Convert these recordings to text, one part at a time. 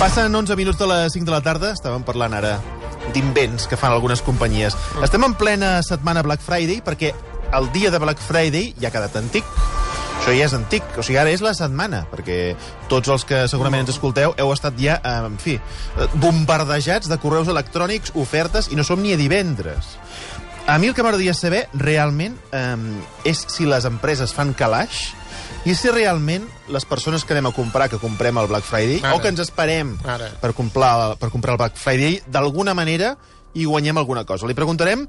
Passen 11 minuts de les 5 de la tarda. Estàvem parlant ara d'invents que fan algunes companyies. Estem en plena setmana Black Friday perquè el dia de Black Friday ja ha quedat antic. Això ja és antic, o sigui, ara és la setmana, perquè tots els que segurament ens escolteu heu estat ja, en fi, bombardejats de correus electrònics, ofertes, i no som ni a divendres. A mi el que m'agradaria saber, realment, és si les empreses fan calaix i si realment les persones que anem a comprar, que comprem el Black Friday, o que ens esperem per comprar el Black Friday, d'alguna manera i guanyem alguna cosa. Li preguntarem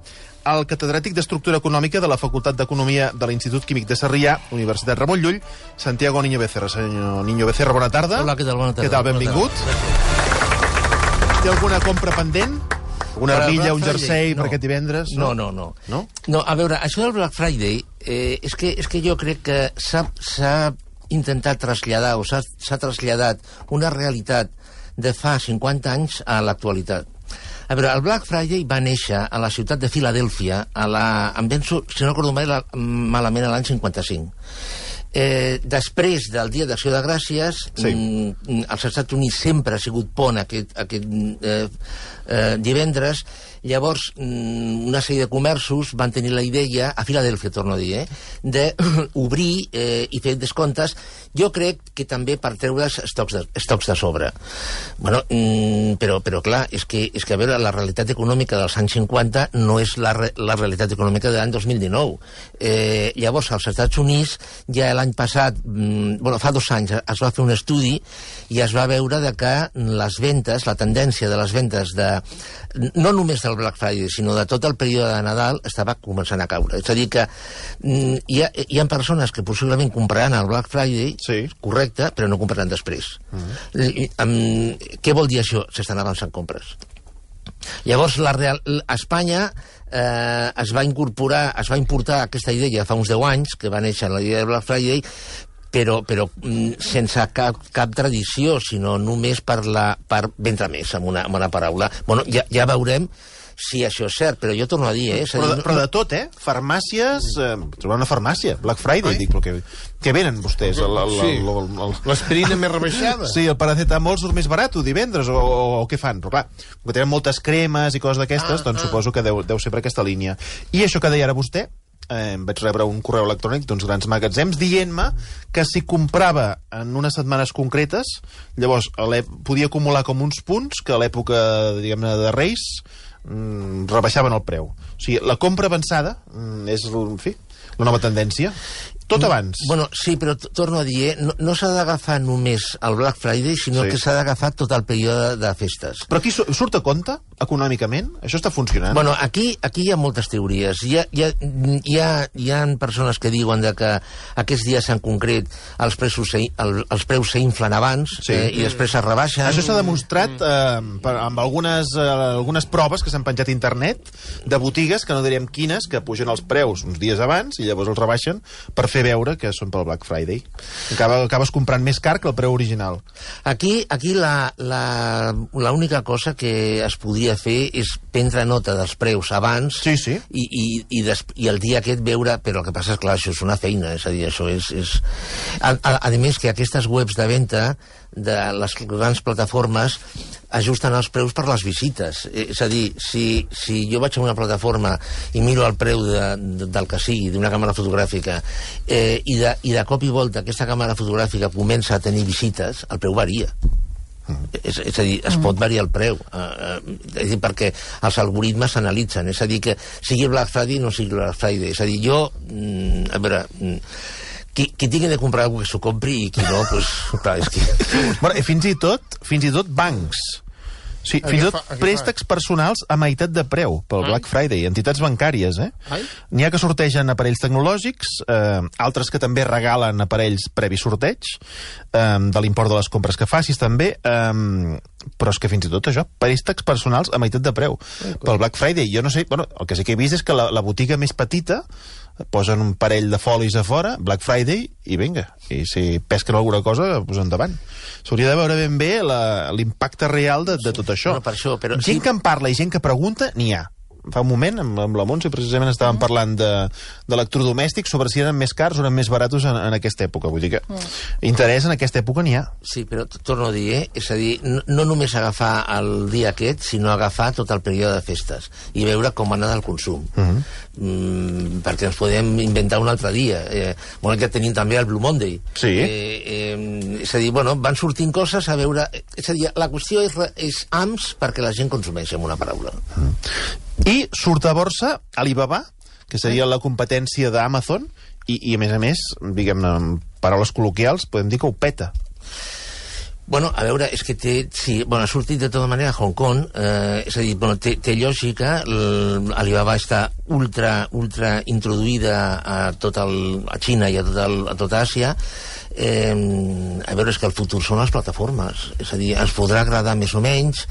al catedràtic d'Estructura Econòmica de la Facultat d'Economia de l'Institut Químic de Sarrià, Universitat Ramon Llull, Santiago Niño Becerra. Senyor Niño Becerra, bona tarda. Hola, què tal? Bona tarda. Què tal? Benvingut. Té alguna compra pendent? Una armilla, un jersei per aquest divendres? No, a veure, això del Black Friday és que jo crec que s'ha intentat traslladar o s'ha traslladat una realitat de fa 50 anys a l'actualitat. A veure, el Black Friday va néixer a la ciutat de Filadèlfia, em penso, si no recordo malament, l'any 55. Després del Dia d'Acció de Gràcies, als Estats Units sempre ha sigut pont aquest divendres. Llavors, una sèrie de comerços van tenir la idea, a Filadèlfia, torno a dir, d'obrir i fer descomptes, jo crec que també per treure estocs de sobre. Bueno, però clar, és que a veure, la realitat econòmica dels anys 50 no és la realitat econòmica de l'any 2019. Llavors, als Estats Units, ja l'any passat, fa 2 anys, es va fer un estudi i es va veure que les ventes, la tendència de les ventes no només del Black Friday, sinó de tot el període de Nadal, estava començant a caure. És a dir que hi ha persones que possiblement compraran el Black Friday, correcte, però no compraran després. Què vol dir això? S'estan avançant compres. Llavors, a Espanya es va importar aquesta idea fa uns 10 anys, que va néixer la idea de Black Friday, però sense cap tradició, sinó només per vendre més, amb una paraula. Bueno, ja veurem si això és cert, però jo torno a dir... Però de tot, farmàcies... Trobar una farmàcia, Black Friday, dic, però què venen vostès? L'aspirina més rebaixada. Sí, el paracetamol surt més barat divendres, o què fan? Però clar, que tenen moltes cremes i coses d'aquestes, doncs suposo que deu ser per aquesta línia. I això que deia ara vostè, vaig rebre un correu electrònic d'uns grans magatzems dient-me que si comprava en unes setmanes concretes, llavors podia acumular com uns punts que a l'època, diguem-ne, de Reis rebaixaven el preu. O sigui, la compra avançada és, en fi, la nova tendència. Tot abans. Bueno, sí, però torno a dir, no s'ha d'agafar només el Black Friday, sinó que s'ha d'agafar tot el període de festes. Però aquí surt a compte, econòmicament? Això està funcionant? Bueno, aquí hi ha moltes teories. Hi ha persones que diuen que aquests dies en concret els preus s'inflen abans i després es rebaixen. Això s'ha demostrat amb algunes proves que s'han penjat a internet de botigues, que no diríem quines, que pugen els preus uns dies abans i llavors els rebaixen per fer veure que són pel Black Friday. Acabes comprant més car que el preu original. Aquí l'única cosa que es podria fer és prendre nota dels preus abans i el dia aquest veure, però el que passa és, clar, això és una feina, és a dir, això és... A més que aquestes webs de venda de les grans plataformes ajusten els preus per les visites. És a dir, si jo vaig a una plataforma i miro el preu del que sigui, d'una càmera fotogràfica, i de cop i volta aquesta càmera fotogràfica comença a tenir visites, el preu varia. És a dir, es pot variar el preu, és a dir, perquè els algoritmes s'analitzen, és a dir, que sigui Black Friday o no sigui Black Friday. És a dir, jo, a veure... Qui tingui de comprar algú que s'ho compri i qui no, doncs, clar, és que... Bueno, i fins i tot bancs. Sí, fins i tot préstecs personals a meitat de preu pel Black Friday, entitats bancàries, N'hi ha que sortegen aparells tecnològics, altres que també regalen aparells previ sorteig, de l'import de les compres que facis també, però és que fins i tot això, préstecs personals a meitat de preu pel Black Friday. Jo no sé, bueno, el que sí que he vist és que la botiga més petita posen un parell de folis a fora, Black Friday, i vinga, i si pesquen alguna cosa, pues endavant. S'hauria de veure ben bé l'impacte real de tot això. Bueno, per això, però gent que en parla i gent que pregunta, n'hi ha. fa un moment, amb la Montse, precisament estàvem parlant d'electrodomèstics, sobre si eren més cars o eren més baratos en aquesta època. Vull dir que interès en aquesta època n'hi ha. Sí, però torno a dir, és a dir, no només agafar el dia aquest, sinó agafar tot el període de festes i veure com anar del consum. Perquè ens podem inventar un altre dia. Bueno, que tenim també el Blue Monday. Sí. És a dir, bueno, van sortint coses a veure... És a dir, la qüestió és AMS perquè la gent consumeix, amb una paraula. I surt a borsa Alibaba, que seria la competència d'Amazon, i a més, diguem-ne, en paraules col·loquials, podem dir que ho peta. Bueno, a veure, és que ha sortit de tota manera a Hong Kong, és a dir, té lògica, Alibaba està ultra introduïda a Xina i a tota Àsia. A veure, és que el futur són les plataformes, és a dir, ens podrà agradar més o menys,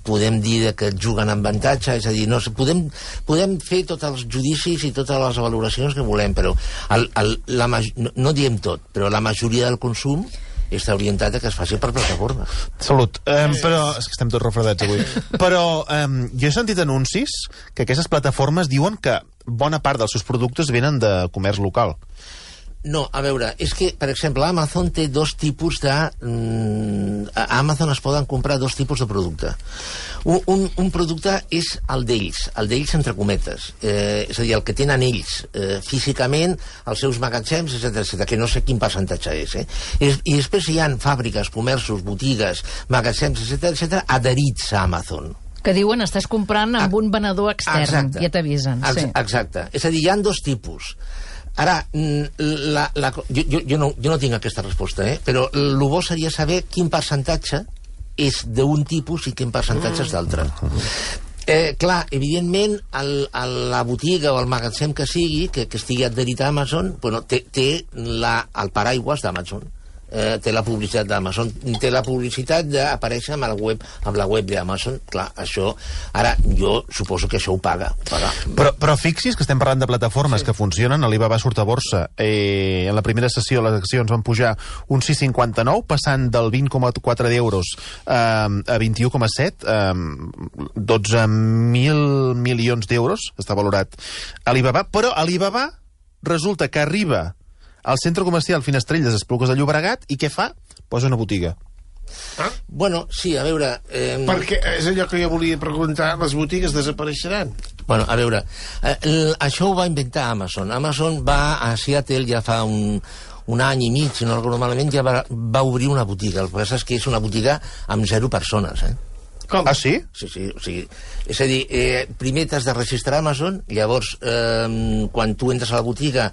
podem dir que juguen amb avantatge, és a dir, podem fer tots els judicis i totes les valoracions que volem, però no diem tot, però la majoria del consum està orientat a que es faci per plataforma. Salut. Però és que estem tots refredats avui. Però jo he sentit anuncis que aquestes plataformes diuen que bona part dels seus productes venen de comerç local. No, a veure, és que, per exemple, Amazon té dos tipus de... A Amazon es poden comprar dos tipus de producte. Un producte és el d'ells entre cometes, és a dir, el que tenen ells físicament, els seus magatzems, etc., que no sé quin percentatge és. I després hi ha fàbriques, comerços, botigues, magatzems, etc., adherits a Amazon. Que diuen estàs comprant amb un venedor extern. Exacte. Ja t'avisen. Exacte. És a dir, hi ha dos tipus. Ara, jo no tinc aquesta resposta, però el bo seria saber quin percentatge és d'un tipus i quin percentatge és d'altre. Clar, evidentment, la botiga o el magatzem que sigui, que estigui adherit a Amazon, té el paraigües d'Amazon. Té la publicitat d'Amazon, té la publicitat d'aparèixer amb la web d'Amazon. Clar, això, ara, jo suposo que això ho paga. Però fixis que estem parlant de plataformes que funcionen. Alibaba surt a borsa. En la primera sessió les accions van pujar un 6,59, passant del 20,4 d'euros a 21,7, 12.000 milions d'euros està valorat Alibaba, però Alibaba resulta que arriba al centre comercial Finestrell de Esplugues de Llobregat, i què fa? Posa una botiga. Bueno, sí, a veure... Perquè és allò que jo volia preguntar, les botigues desapareixeran? Bueno, a veure, això ho va inventar Amazon. Amazon va a Seattle ja fa un any i mig, si no recordo malament, ja va obrir una botiga. El que passa és que és una botiga amb 0 persones, Com? Ah, sí? Sí, o sigui, és a dir, primer t'has de registrar a Amazon, llavors, quan tu entres a la botiga,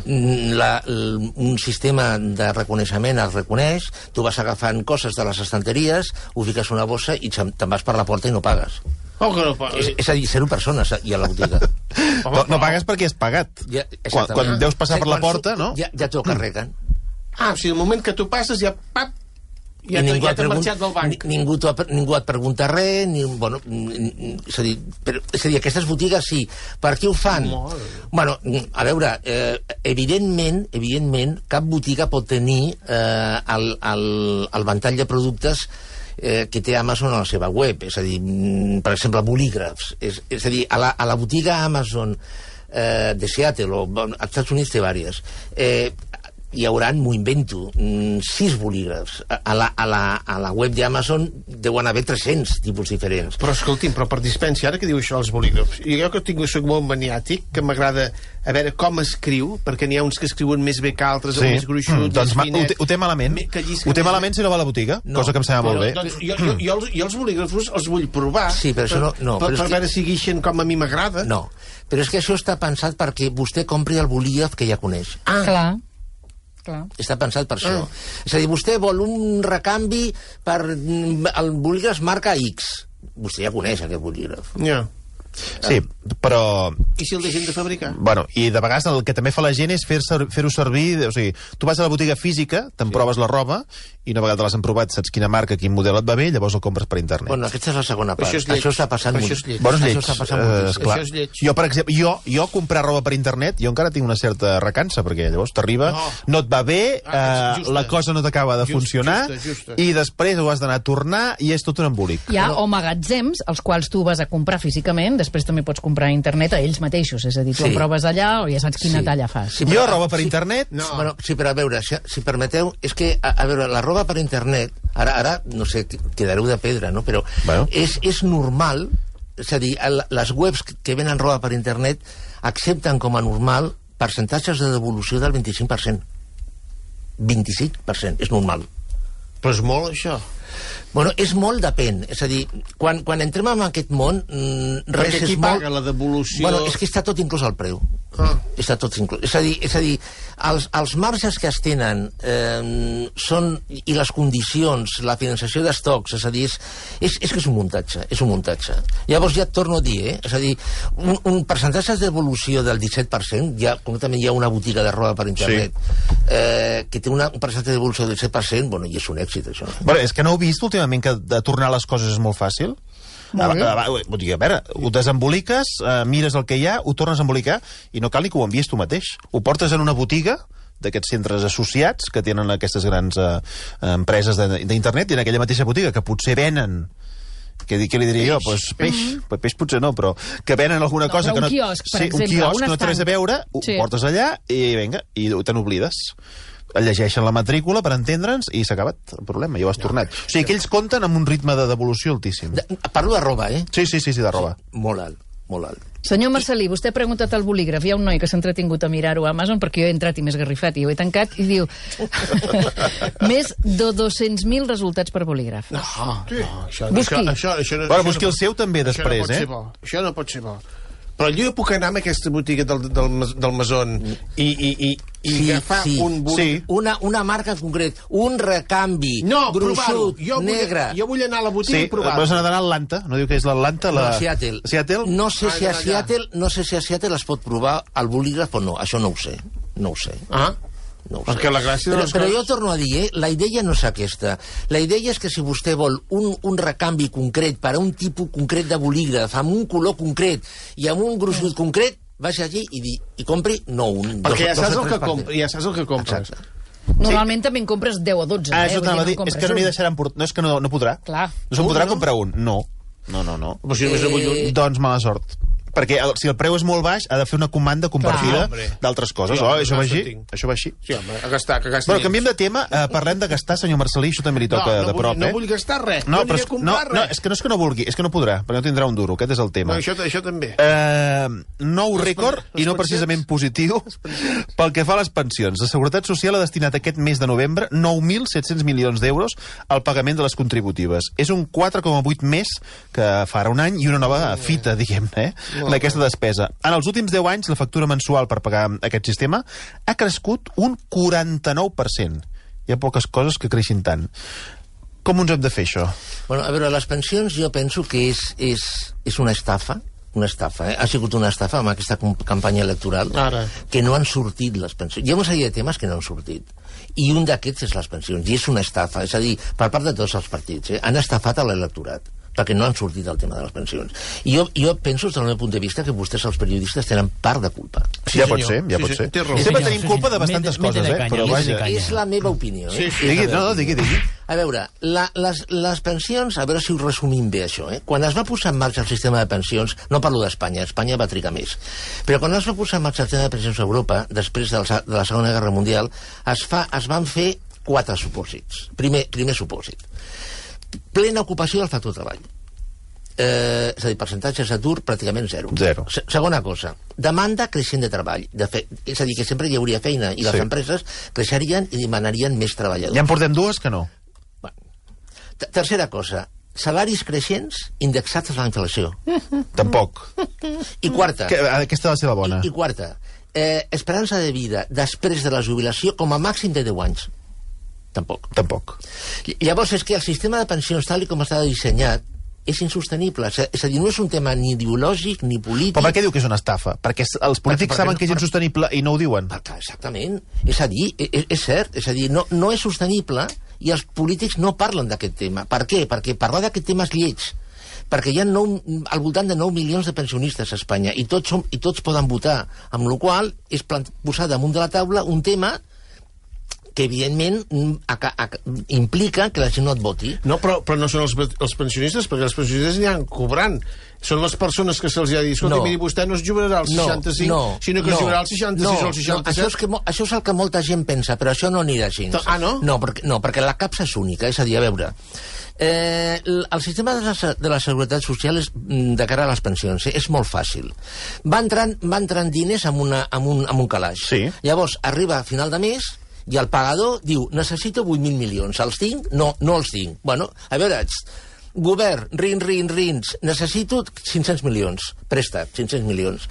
un sistema de reconeixement el reconeix, tu vas agafant coses de les estanteries, ho fiques a una bossa i te'n vas per la porta i no pagues. Oh, que no pagues? És a dir, 0 persones hi ha a la botiga. No pagues perquè has pagat. Quan deus passar per la porta, no? Ja t'ho carreguen. O sigui, el moment que tu passes ja... Ja t'ha marxat del banc. Ningú et pregunta res, és a dir, aquestes botigues sí. Per què ho fan? Bueno, a veure, evidentment, cap botiga pot tenir el ventall de productes que té Amazon a la seva web. És a dir, per exemple, bolígrafs. És a dir, a la botiga Amazon de Seattle, o als Estats Units té vàries, hi haurà, m'ho invento, 6 bolígrafs. A la web d'Amazon deuen haver 300 tipus diferents. Però escolti'm, per dispència, ara que diu això els bolígrafs, jo que soc molt maniàtic, que m'agrada a veure com escriu, perquè n'hi ha uns que escriuen més bé que altres, o més gruixut, doncs ho té malament. Ho té malament si no va a la botiga, cosa que em sembla molt bé. Doncs jo els bolígrafs els vull provar, sí, però això per veure si guixen com a mi m'agrada. No, però és que això està pensat perquè vostè compri el bolígraf que ja coneix. Clar. Està pensat per això. És a dir, vostè vol un recanvi per el bolígraf marca X. Vostè ja coneix aquest bolígraf. Ja. Sí, però... I si el deixen de fabricar? Bueno, i de vegades el que també fa la gent és fer-ho servir... O sigui, tu vas a la botiga física, te'n proves la roba, i una vegada l'has provat, saps quina marca, quin model et va bé, llavors el compres per internet. Bueno, aquesta és la segona part. Això és lleig. Això està passant Això molt. és lleig. Bueno, és Això lleig. està passant moltíssim. Esclar. Això és lleig. Jo, per exemple, jo comprar roba per internet, jo encara tinc una certa recança, perquè llavors t'arriba, no et va bé, justa. la cosa no t'acaba de funcionar, justa. i després ho has d'anar a tornar, i és tot un embolic. Hi ha o magatzems, als quals tu vas a comprar físicament, després també pots comprar a internet a ells mateixos, és a dir, tu Sí. en proves allà o ja saps quina Sí. talla fas. Sí, Jo, roba per internet... No. Bueno, sí, però a veure, si permeteu, és que, a veure, la roba per internet, ara no sé, quedareu de pedra, no? Però Bueno. és normal, és a dir, les webs que venen roba per internet accepten com a normal percentatges de devolució del 25%. 25%, és normal. Però és molt, això. Bueno, és molt depèn. És a dir, quan entrem en aquest món, res Perquè és qui molt... paga la devolució... Bueno, és que està tot inclús al preu. Està tot inclús. És a dir, els marges que es tenen són, i les condicions, la financiació d'estocs, és a dir, és que és un muntatge, és un muntatge. Llavors ja et torno a dir, és a dir, un percentatge d'evolució del 17%, ja, concretament hi ha una botiga de roba per internet que té un percentatge d'evolució del 17%, bueno, i és un èxit, això. Bueno, és que no heu vist últimament que de tornar les coses és molt fàcil? A veure, ho desemboliques, mires el que hi ha, ho tornes a embolicar i no cal ni que ho envies tu mateix. Ho portes en una botiga d'aquests centres associats que tenen aquestes grans empreses d'internet, i en aquella mateixa botiga que potser venen, què li diria jo? Pues peix potser no, però que venen alguna cosa que no... Un quiosc, per exemple, un quiosc un que no té res a estand. veure, ho portes allà i vinga, i te n'oblides. Llegeixen la matrícula per entendre'ns i s'ha acabat el problema, ja ho has tornat. O sigui que ells compten amb un ritme de devolució altíssim. Parlo de roba, eh? Sí, de roba. Molt alt, molt alt. Senyor Marcelí, vostè ha preguntat al bolígraf. Hi ha un noi que s'ha entretingut a mirar-ho a Amazon perquè jo he entrat i m'he esgarrifat i ho he tancat i diu més de 200.000 resultats per bolígraf. No, això Busqui. no... Bueno, busqui el seu també després, Això no pot ser bo. Però jo puc anar a aquesta botiga del Mason i agafar un bolígraf... Una marca en concret, un recanvi, No, provar-ho. gruixut, negre... Jo vull anar a la botiga i provar-ho. Vas anar a Atlanta, no diu que és l'Atlanta? Seattle. Seattle? No sé si a Seattle es pot provar el bolígraf o no, això no ho sé. No ho sé. Ah, No ho sé. perquè la gràcia de les Però coses... jo torno a dir, la idea no és aquesta. La idea és que si vostè vol un recanvi concret per a un tipus concret de bolígraf, amb un color concret i amb un gruixut concret, vagi allí i compri, no un... Perquè ja saps dos o el tres que compres. Ja saps el que compres. Exacte. Normalment també en compres 10 o 12. Això t'anava a dir, és que no n'hi un. deixaran portar... No, és que no podrà. Clar. No se'n podrà no? comprar un. No. Però si només en vull un... Doncs mala sort. Perquè si el preu és molt baix, ha de fer una comanda compartida Clar, d'altres coses. Sí, home, Això va així? tinc. Això va així? Sí, home, a gastar, que gasti Bueno, canviem de tema. Parlem de gastar, senyor Marcelí. Això també li toca de prop, no vull gastar res. No aniré a comprar res. És que no és que no vulgui, és que no podrà, perquè no tindrà un duro. Aquest és el tema. No, això també. Nou rècord, i no precisament positiu, pel que fa a les pensions. La Seguretat Social ha destinat aquest mes de novembre 9.700 milions d'euros al pagament de les contributives. És un 4,8 més que fa ara un any i una nova fita, diguem-ne, d'aquesta despesa. En els últims 10 anys, la factura mensual per pagar aquest sistema ha crescut un 49%. Hi ha poques coses que creixin tant. Com ens hem de fer, això? Bueno, a veure, les pensions jo penso que és una estafa, ha sigut una estafa amb aquesta campanya electoral. Ara. Que no han sortit les pensions. Hi ha una sèrie de temes que no han sortit. I un d'aquests és les pensions, i és una estafa. És a dir, per part de tots els partits, han estafat a l'electorat perquè no han sortit el tema de les pensions. I jo penso, des del meu punt de vista, que vostès, els periodistes, tenen part de culpa. Sí, ja pot senyor. ser, ja pot ser. Té raó. Sempre tenim culpa de bastantes coses, però vaja. És la meva opinió. Digui. A veure, les pensions, a veure si ho resumim bé, això. Quan es va posar en marxa el sistema de pensions, no parlo d'Espanya, Espanya va trigar més, però quan es va posar en marxa el sistema de pensions a Europa, després de la Segona Guerra Mundial, es van fer 4 supòsits. Primer supòsit. Plena ocupació del factor treball. És a dir, percentatges d'atur pràcticament zero. Segona cosa, demanda creixent de treball. És a dir, que sempre hi hauria feina i les empreses creixerien i demanarien més treballadors. Ja en portem 2 que no. Tercera cosa, salaris creixents indexats a la inflació. Tampoc. I quarta... Aquesta ha de ser la bona. I quarta, esperança de vida després de la jubilació com a màxim de 10 anys. Tampoc. Tampoc. Llavors és que el sistema de pensions tal com està dissenyat és insostenible. És a dir, no és un tema ni ideològic ni polític. Però per què diu que és una estafa? Perquè els polítics saben que és insostenible i no ho diuen. Exactament. És a dir, és cert. És a dir, no és sostenible i els polítics no parlen d'aquest tema. Per què? Perquè parlar d'aquest tema és lleig. Perquè hi ha al voltant de 9 milions de pensionistes a Espanya i tots poden votar, amb la qual cosa és posar damunt de la taula un tema que evidentment implica que la gent no et voti. No, però no són els pensionistes, perquè els pensionistes aniran cobrant. Són les persones que se'ls ha dit, escolta, miri, vostè no es jubilarà als 65, sinó que es jubilarà als 66 o als 67. Això és el que molta gent pensa, però això no anirà així. No? No, perquè la capsa és única, és a dir, a veure, el sistema de la Seguretat Social de cara a les pensions és molt fàcil. Va entrant diners amb un calaix. Sí. Llavors, arriba a final de mes i el pagador diu, necessito 8.000 milions. Els tinc? No els tinc. Bueno, a veure, govern, rins, necessito 500 milions. Préstec, 500 milions.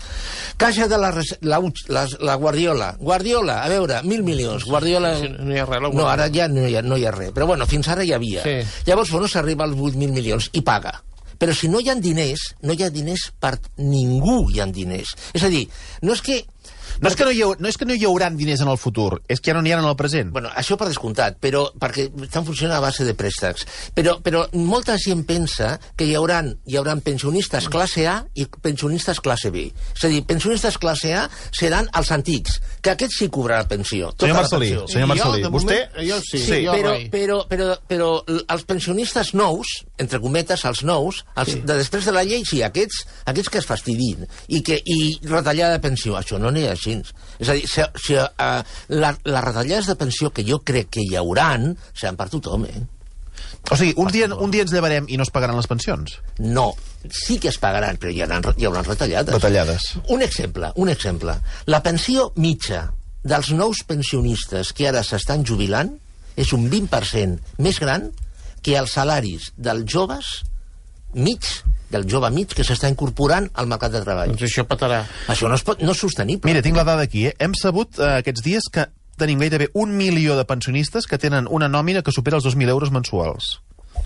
Caixa de la Guardiola, a veure, 1.000 milions. Guardiola... No hi ha res, no, ara ja no hi ha res. Però bueno, fins ara hi havia. Sí. Llavors, bueno, s'arriba als 8.000 milions i paga. Però si no hi ha diners, no hi ha diners per ningú hi ha diners. És a dir, no és que no hi haurà diners en el futur, és que ja no n'hi ha en el present. Bueno, això per descomptat, però perquè estan funcionant a base de préstecs. Però molta gent pensa que hi hauran pensionistes classe A i pensionistes classe B. És a dir, pensionistes classe A seran els antics, que aquests sí cobraran pensió. Senyor Marcelí, vostè... Jo sí, però els pensionistes nous, entre cometes, els nous, de després de la llei, sí, aquests que es fastidin i retallada de pensió, això no n'hi ha així. És a dir, les retallades de pensió que jo crec que hi hauran seran per tothom, O sigui, un dia ens llevarem i no es pagaran les pensions? No, sí que es pagaran, però hi haurà retallades. Un exemple. La pensió mitja dels nous pensionistes que ara s'estan jubilant és un 20% més gran que els salaris dels joves del jove mig que s'està incorporant al mercat de treball. Doncs això petarà. Això no és sostenible. Mira, tinc la dada aquí. Hem sabut aquests dies que tenim gairebé 1 milió de pensionistes que tenen una nòmina que supera els 2.000 euros mensuals.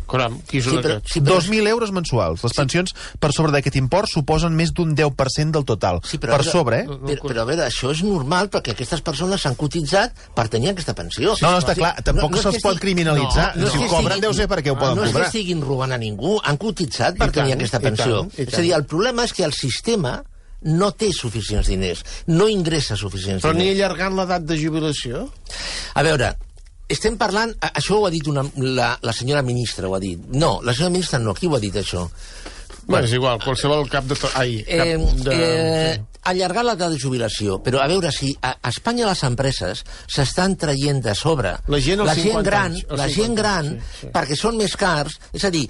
Caram, qui són aquests? 2.000 euros mensuals. Les pensions per sobre d'aquest import suposen més d'un 10% del total. Per sobre, Però a veure, això és normal perquè aquestes persones s'han cotitzat per tenir aquesta pensió. No, està clar, tampoc se'ls pot criminalitzar. Si ho cobren deu ser perquè ho poden cobrar. No és que estiguin robant a ningú, han cotitzat per tenir aquesta pensió. És a dir, el problema és que el sistema no té suficients diners, no ingressa suficients diners. Però ni allargant l'edat de jubilació? A veure, estem parlant... Això ho ha dit la senyora ministra, ho ha dit. No, la senyora ministra no. Qui ho ha dit, això? Bueno, és igual, qualsevol cap de... Allargar l'edat de jubilació. Però a veure, si a Espanya les empreses s'estan traient de sobre la gent gran, sí. Perquè són més cars, és a dir,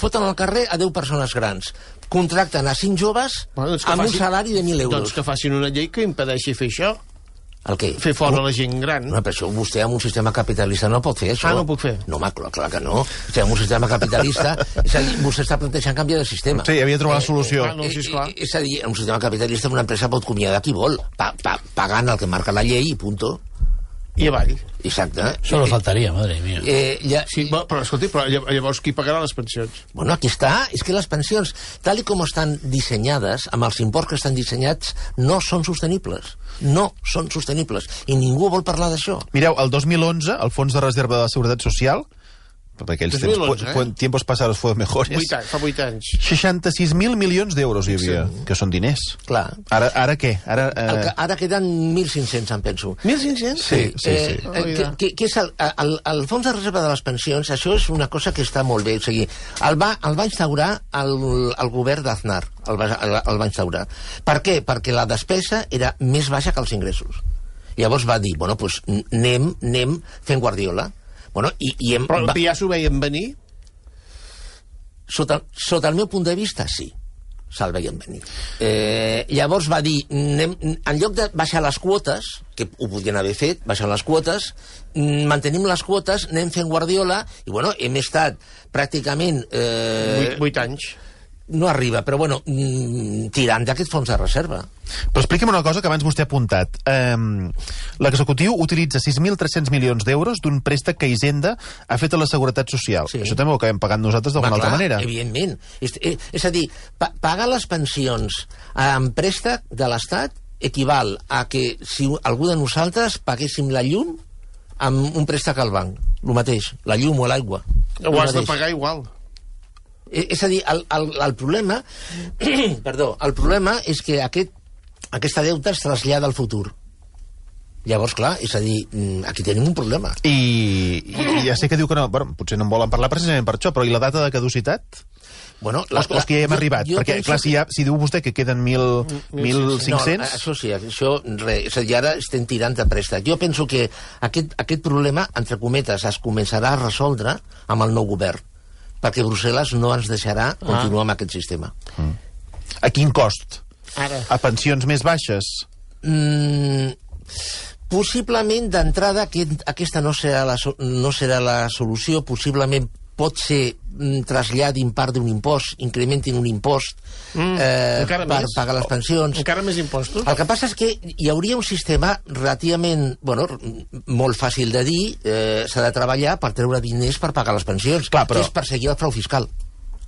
foten al carrer a 10 persones grans, contracten a 5 joves amb un salari de 1.000 euros. Doncs que facin una llei que impedeixi fer això. El què? Fer fora la gent gran. No, però això vostè amb un sistema capitalista no pot fer, això. No puc fer? No, clar que no. Amb un sistema capitalista... És a dir, vostè està plantejant canviar de sistema. Sí, havia de trobar la solució. És a dir, en un sistema capitalista una empresa pot acomiadar qui vol, pagant el que marca la llei i punto. I avall. Exacte. Solo faltaria, madre mía. Sí, però escolti, llavors qui pagarà les pensions? Bueno, aquí està. És que les pensions, tal com estan dissenyades, amb els imports que estan dissenyats, no són sostenibles. No són sostenibles. I ningú vol parlar d'això. Mireu, el 2011, el Fons de Reserva de la Seguretat Social, per aquells tiempos pasados fueron mejores. Fa 8 anys. 66.000 milions d'euros hi havia, que són diners. Clar. Ara què? Ara queden 1.500, em penso. 1.500? Sí. Que és el Fons de Reserva de les Pensions, això és una cosa que està molt bé. O sigui, el va instaurar el govern d'Aznar, el va instaurar. Per què? Perquè la despesa era més baixa que els ingressos. Llavors va dir, bueno, doncs anem fent Guardiola. Bueno, però ja s'ho veien venir? Sota el meu punt de vista, sí. Se'l veien venir. Llavors va dir, en lloc de baixar les quotes, que ho podien haver fet, baixar les quotes, mantenim les quotes, anem fent Guardiola, i bueno, hem estat pràcticament... 8 anys. no arriba, però bueno, tirant d'aquest fons de reserva. Però expliqui'm una cosa que abans vostè ha apuntat. L'executiu utilitza 6.300 milions d'euros d'un préstec que Hisenda ha fet a la Seguretat Social. Sí. Això també ho acabem pagant nosaltres d'alguna altra manera. Evidentment. És a dir, pagar les pensions amb préstec de l'Estat equival a que si algú de nosaltres paguéssim la llum amb un préstec al banc. El mateix, la llum o l'aigua. Ho has de pagar igual. És a dir, el problema perdó, el problema és que aquesta deuta es trasllada al futur. Llavors, clar, és a dir, aquí tenim un problema. I ja sé que diu que no, bueno, potser no en volen parlar precisament per això, però i la data de caducitat? Bueno, els que ja hem arribat, perquè clar, si diu vostè que queden 1.500... No, això sí, això res, és a dir, ara estem tirant de préstec. Jo penso que aquest problema, entre cometes, es començarà a resoldre amb el nou govern, perquè Brussel·les no ens deixarà continuar amb aquest sistema. A quin cost? Ara. A pensions més baixes? Possiblement, d'entrada, aquesta no serà la solució, possiblement pot ser traslladin part d'un impost, incrementin un impost per pagar les pensions. Encara més impostos? El que passa és que hi hauria un sistema relativament, molt fàcil de dir, s'ha de treballar per treure diners per pagar les pensions, que és perseguir el frau fiscal.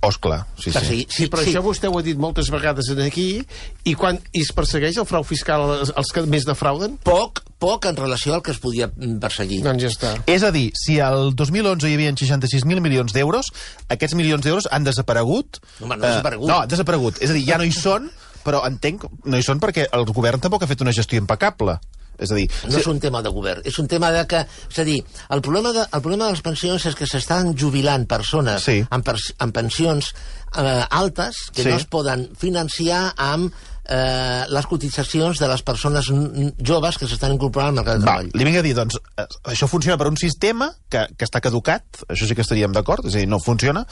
Clar, sí. Sí, però això vostè ho ha dit moltes vegades aquí, i quan es persegueix el frau fiscal els que més defrauden? Poc en relació al que es podia perseguir. Doncs ja està. És a dir, si el 2011 hi havia 66.000 milions d'euros, aquests milions d'euros han desaparegut? No, no desaparegut. No, desaparegut. És a dir, ja no hi són, però entenc, no hi són perquè el govern tampoc ha fet una gestió impecable. És a dir... No és un tema de govern, és un tema de que... És a dir, el problema de les pensions és que s'estan jubilant persones amb pensions altes que no es poden financiar amb les cotitzacions de les persones joves que s'estan incorporant al mercat de treball. Li vinc a dir, doncs, això funciona per un sistema que està caducat, això sí que estaríem d'acord, és a dir, no funciona,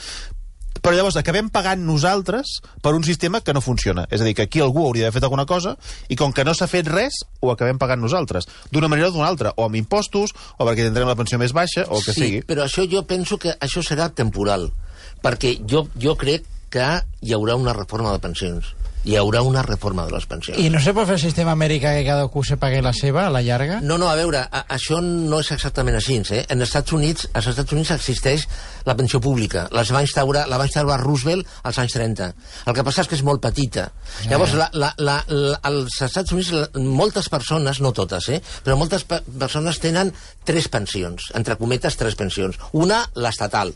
però llavors acabem pagant nosaltres per un sistema que no funciona. És a dir, que aquí algú hauria d'haver fet alguna cosa i com que no s'ha fet res, ho acabem pagant nosaltres. D'una manera o d'una altra, o amb impostos, o perquè tindrem la pensió més baixa, o el que sigui. Sí, però això jo penso que això serà temporal, perquè jo crec que hi haurà una reforma de pensions. Hi haurà una reforma de les pensions. I no se pot fer el sistema americà que cada cú se pagui la seva a la llarga? No, a veure, això no és exactament així, En als Estats Units existeix la pensió pública. La va instaurar Roosevelt als anys 30. El que passa és que és molt petita. Llavors, als Estats Units, moltes persones, no totes, però moltes persones tenen 3 pensions, entre cometes 3 pensions. Una, l'estatal,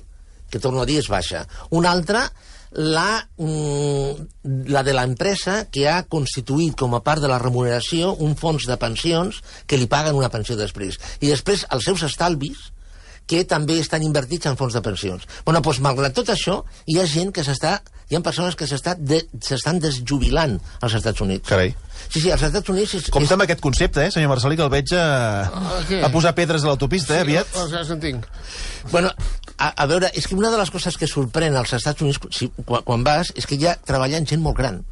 que torno a dir és baixa. Una altra, la de l'empresa que ha constituït com a part de la remuneració un fons de pensions que li paguen una pensió després. I després els seus estalvis que també estan invertits en fons de pensions. Doncs, malgrat tot això, hi ha gent que hi ha persones que s'estan desjubilant als Estats Units. Carai. Sí, als Estats Units... Compte amb aquest concepte, senyor Marcelí, que el veig a posar pedres a l'autopista, aviat. Ja s'entenc. A veure, és que una de les coses que sorprèn als Estats Units quan vas és que hi ha treballant gent molt gran.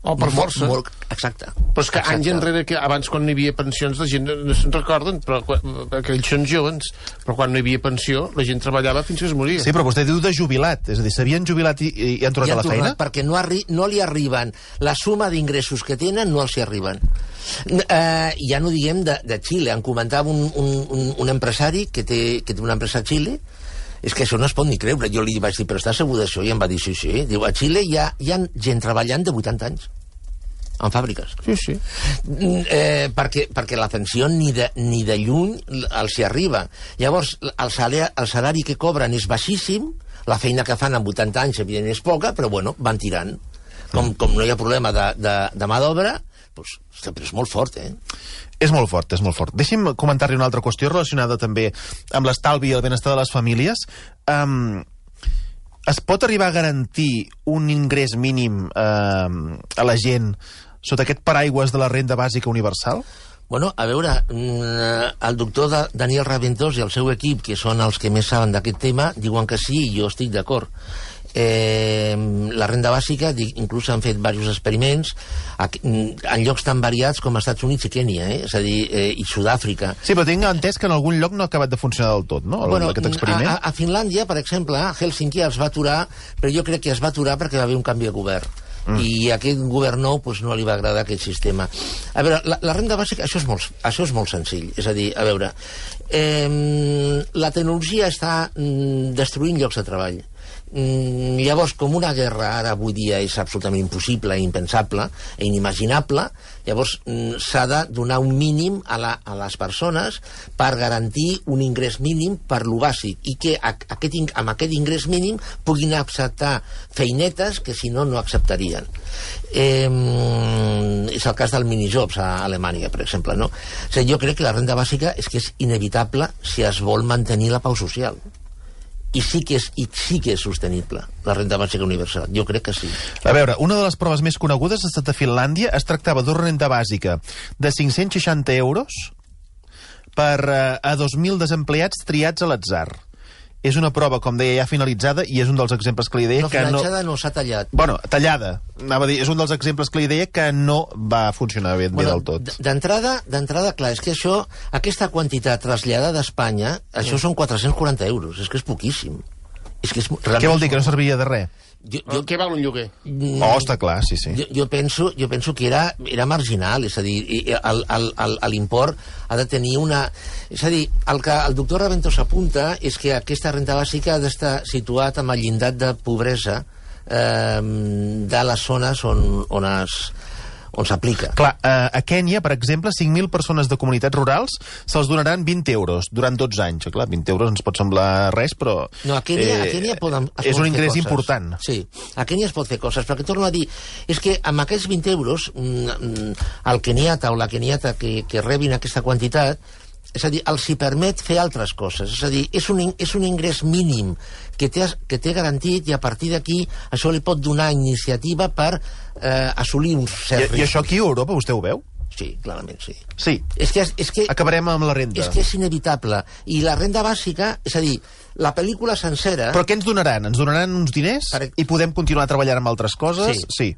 Per força. Exacte. Però és que anys enrere, abans quan no hi havia pensions, la gent no se'n recorden, perquè ells són joves, però quan no hi havia pensió, la gent treballava fins que es moria. Sí, però vostè diu de jubilat, és a dir, s'havien jubilat i han tornat a la feina? Perquè no li arriben, la suma d'ingressos que tenen no els hi arriben. Ja no diguem de Xile, em comentava un empresari que té una empresa a Xile. És que això no es pot ni creure. Jo li vaig dir, però està segur d'això? I em va dir, sí. Diu, a Xile hi ha gent treballant de 80 anys en fàbriques. Sí. Perquè la pensió ni de lluny els hi arriba. Llavors, el salari que cobren és baixíssim, la feina que fan amb 80 anys, evidentment, és poca, però van tirant. Com no hi ha problema de mà d'obra, però és molt fort, És molt fort. Deixi'm comentar-li una altra qüestió relacionada també amb l'estalvi i el benestar de les famílies. Es pot arribar a garantir un ingrés mínim a la gent sota aquest paraigües de la renda bàsica universal? A veure, el doctor Daniel Raventós i el seu equip, que són els que més saben d'aquest tema, diuen que sí, i jo estic d'acord. La renda bàsica, inclús s'han fet diversos experiments en llocs tan variats com els Estats Units i Kènia, és a dir, i Sud-àfrica. Sí, però tinc entès que en algun lloc no ha acabat de funcionar del tot, no? Bueno, aquest experiment. A Finlàndia, per exemple, a Helsinki es va aturar, però jo crec que es va aturar perquè va haver un canvi de govern. I a aquest govern nou no li va agradar aquest sistema. A veure, la renda bàsica, això és molt senzill. És a dir, a veure, la tecnologia està destruint llocs de treball. Llavors, com una guerra ara avui dia és absolutament impossible, impensable i inimaginable, llavors s'ha de donar un mínim a les persones per garantir un ingrés mínim per lo bàsic i que amb aquest ingrés mínim puguin acceptar feinetes que si no acceptarien. És el cas del minijobs a Alemanya, per exemple, no? O sigui, jo crec que la renda bàsica és que és inevitable si es vol mantenir la pau social. I sí que és sostenible, la renda bàsica universal. Jo crec que sí. A veure, una de les proves més conegudes ha estat a Finlàndia. Es tractava d'una renda bàsica de 560 euros per a 2.000 desempleats triats a l'atzar. És una prova, com deia, ja finalitzada, i és un dels exemples que li deia que no... No s'ha tallat. Bueno, tallada. Anava a dir, és un dels exemples que li deia que no va funcionar bé del tot. D'entrada, clar, és que aquesta quantitat traslladada d'Espanya, això són 440 euros. És que és poquíssim. Què vol dir, que no serviria de res? Què val un lloguer? Està clar, sí. Jo penso que era marginal, és a dir, l'import ha de tenir una... És a dir, el que el doctor Raventós apunta és que aquesta renda bàsica ha d'estar situat amb el llindar de pobresa de les zones on s'aplica. Clar, a Kènia, per exemple, 5.000 persones de comunitats rurals se'ls donaran 20 euros durant 12 anys. Clar, 20 euros ens pot semblar res, però... No, a Kènia és un ingrés important. Sí, a Kènia es pot fer coses, però que torno a dir, és que amb aquests 20 euros, el keniata o la keniata que rebin aquesta quantitat, és a dir, els hi permet fer altres coses. És a dir, és un ingrés mínim que té garantit, i a partir d'aquí això li pot donar iniciativa per assolir un cert risc. I això aquí a Europa vostè ho veu? Sí, clarament sí. Sí. És que acabarem amb la renda. És que és inevitable. I la renda bàsica, és a dir, la pel·lícula sencera... Però què ens donaran? Ens donaran uns diners i podem continuar treballant amb altres coses? Sí,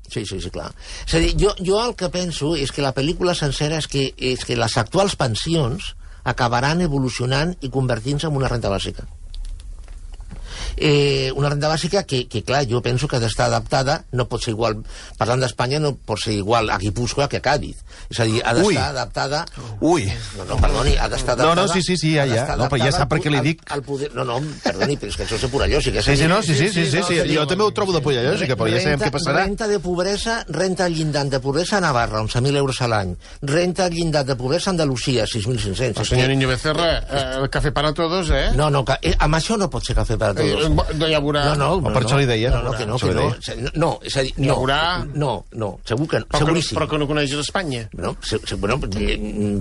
clar. És a dir, jo el que penso és que la pel·lícula sencera és que les actuals pensions acabaran evolucionant i convertint-se en una renda bàsica. Una renda bàsica que, clar, jo penso que ha d'estar adaptada, no pot ser igual, parlant d'Espanya, no pot ser igual a Guipúscoa que a Cádiz. És a dir, ha d'estar adaptada... No, perdoni, ha d'estar adaptada... No, sí, ja. No, però ja sap per què li dic... No, perdoni, però és que això és de pura lògica. Sí, jo també ho trobo de pura lògica, però ja sabem què passarà. Renta de pobresa, renta al llindar de pobresa a Navarra, 11.000 euros a l'any. Renta al llindar de pobresa a Andalusia, 6.500. El senyor Niño Becerra, el café para todos, eh? No, amb això no pot ser café para todos. No hi haurà... Per això li deia. No, és a dir, no, segur que no, seguríssim. Però que no coneixes Espanya.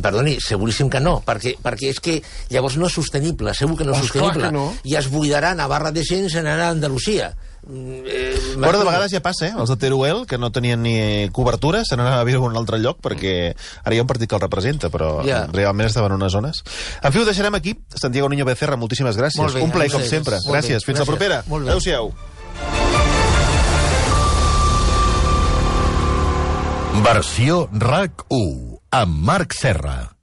Perdoni, seguríssim que no, perquè és que llavors no és sostenible, segur que no és sostenible. I es buidarà Navarra de gent i se n'anarà a Andalusia. Però de vegades ja passa, els de Teruel, que no tenien ni cobertura, se n'anaven a viure a un altre lloc, perquè ara hi ha un partit que el representa, però realment estaven en unes zones. En fi, ho deixarem aquí. Santiago Niño Becerra, moltíssimes gràcies. Un plaer, com sempre. Gràcies. Fins la propera. Adéu-siau. Versió RAC 1 amb Marc Serra.